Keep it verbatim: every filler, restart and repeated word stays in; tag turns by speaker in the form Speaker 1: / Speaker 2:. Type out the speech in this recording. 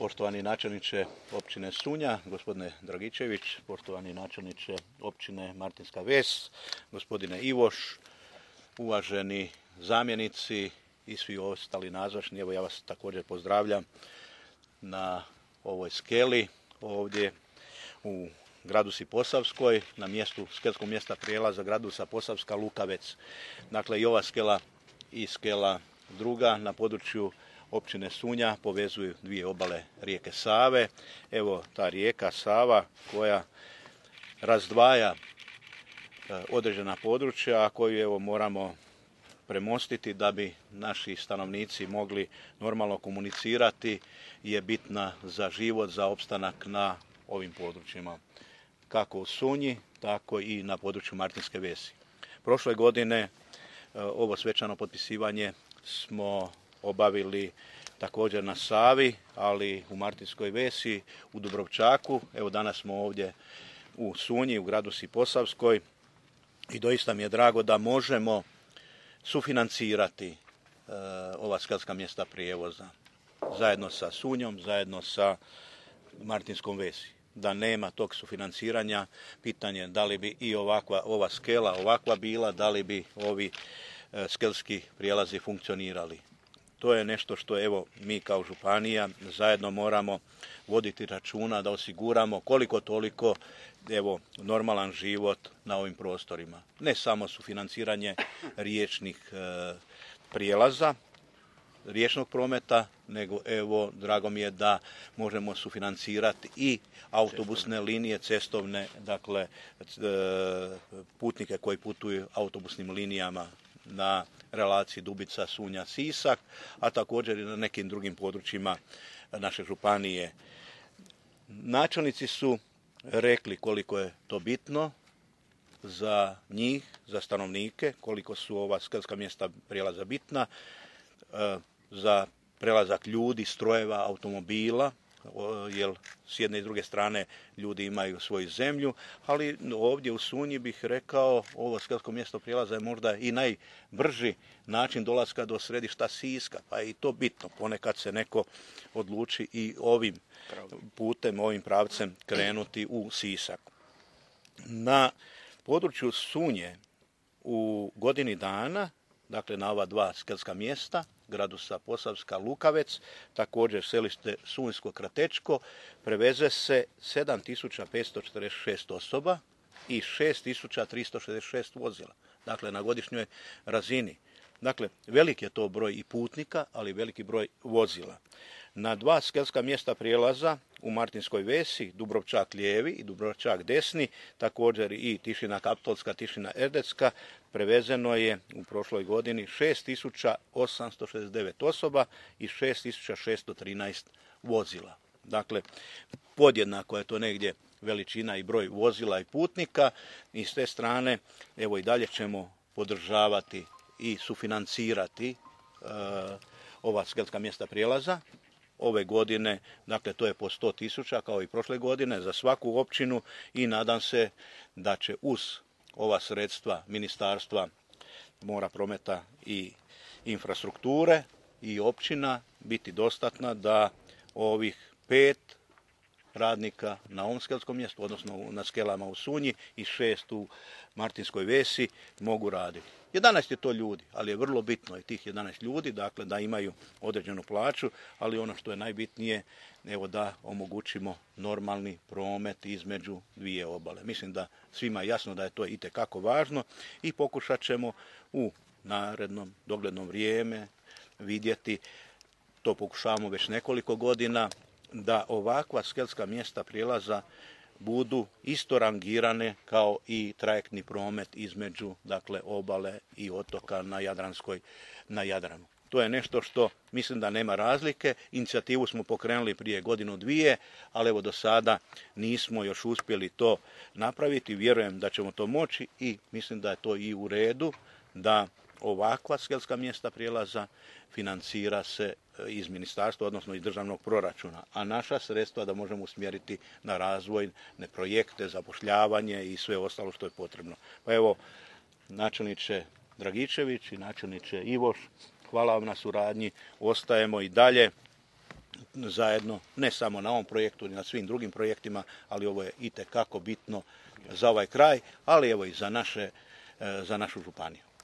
Speaker 1: Poštovani načelniče općine Sunja, gospodine Dragičević, poštovani načelniče općine Martinska Ves, gospodine Ivoš, uvaženi zamjenici i svi ostali nazočni, evo ja vas također pozdravljam na ovoj skeli ovdje u Gradusi Posavskoj, na mjestu, skelskog mjesta prijelaza Gradusa Posavska Lukavec. Dakle, i ova skela i skela druga na području općine Sunja povezuju dvije obale rijeke Save. Evo ta rijeka Sava koja razdvaja određena područja, a koju evo moramo premostiti da bi naši stanovnici mogli normalno komunicirati, je bitna za život, za opstanak na ovim područjima. Kako u Sunji, tako i na području Martinske Vesi. Prošle godine ovo svečano potpisivanje smo obavili također na Savi, ali u Martinskoj Vesi, u Dubrovčaku. Evo danas smo ovdje u Sunji, u Gradusi Posavskoj i doista mi je drago da možemo sufinancirati e, ova skelska mjesta prijevoza zajedno sa Sunjom, zajedno sa Martinskom Vesi. Da nema tog sufinanciranja, pitanje da li bi i ovakva ova skela ovakva bila, da li bi ovi e, skelski prijelazi funkcionirali. To je nešto što evo mi kao županija zajedno moramo voditi računa da osiguramo koliko toliko evo normalan život na ovim prostorima. Ne samo sufinanciranje riječnih e, prijelaza, riječnog prometa, nego evo drago mi je da možemo sufinancirati i autobusne linije, cestovne, dakle e, putnike koji putuju autobusnim linijama na relaciji Dubica, Sunja, Sisak, a također i na nekim drugim područjima naše županije. Načelnici su rekli koliko je to bitno za njih, za stanovnike, koliko su ova skelska mjesta prijelaza bitna, za prelazak ljudi, strojeva, automobila, jer s jedne i druge strane ljudi imaju svoju zemlju, ali ovdje u Sunji bih rekao ovo skelsko mjesto prijelaza je možda i najbrži način dolaska do središta Siska, pa je i to bitno. Ponekad se neko odluči i ovim putem, ovim pravcem krenuti u Sisak. Na području Sunje u godini dana, dakle na ova dva skelska mjesta, Gradusa Posavska Lukavec, također selište Sunjsko Kratečko, preveze se sedam tisuća petsto četrdeset šest osoba i šest tisuća tristo šezdeset šest vozila, dakle na godišnjoj razini. Dakle, velik je to broj i putnika, ali veliki broj vozila. Na dva skelska mjesta prijelaza u Martinskoj Vesi, Dubrovčak lijevi i Dubrovčak desni, također i Tišina Kaptolska, Tišina Erdecka, prevezeno je u prošloj godini šest tisuća osamsto šezdeset devet osoba i šest tisuća šesto trinaest vozila. Dakle, podjednako je to negdje veličina i broj vozila i putnika i s te strane evo i dalje ćemo podržavati i sufinancirati uh, ova skelska mjesta prijelaza. Ove godine, dakle to je po sto tisuća kao i prošle godine za svaku općinu i nadam se da će uz ova sredstva Ministarstva mora, prometa i infrastrukture i općina biti dostatna da ovih pet radnika na ovom skelskom mjestu, odnosno na skelama u Sunji i šest u Martinskoj Vesi mogu raditi. jedanaest je to ljudi, ali je vrlo bitno i tih jedanaest ljudi, dakle da imaju određenu plaću, ali ono što je najbitnije, evo da omogućimo normalni promet između dvije obale. Mislim da svima je jasno da je to itekako važno i pokušat ćemo u narednom doglednom vrijeme vidjeti, to pokušavamo već nekoliko godina, da ovakva skelska mjesta prijelaza budu isto rangirane kao i trajektni promet između dakle obale i otoka na Jadranskoj, na Jadranu. To je nešto što mislim da nema razlike. Inicijativu smo pokrenuli prije godinu dvije, ali evo do sada nismo još uspjeli to napraviti. Vjerujem da ćemo to moći i mislim da je to i u redu da ovakva skelska mjesta prijelaza financira se iz ministarstva, odnosno iz državnog proračuna, a naša sredstva da možemo usmjeriti na razvojne projekte, zapošljavanje i sve ostalo što je potrebno. Pa evo, načelniče Dragičević i načelniče Ivoš, hvala vam na suradnji, ostajemo i dalje zajedno, ne samo na ovom projektu, ni na svim drugim projektima, ali ovo je itekako bitno za ovaj kraj, ali evo i za naše, za našu županiju.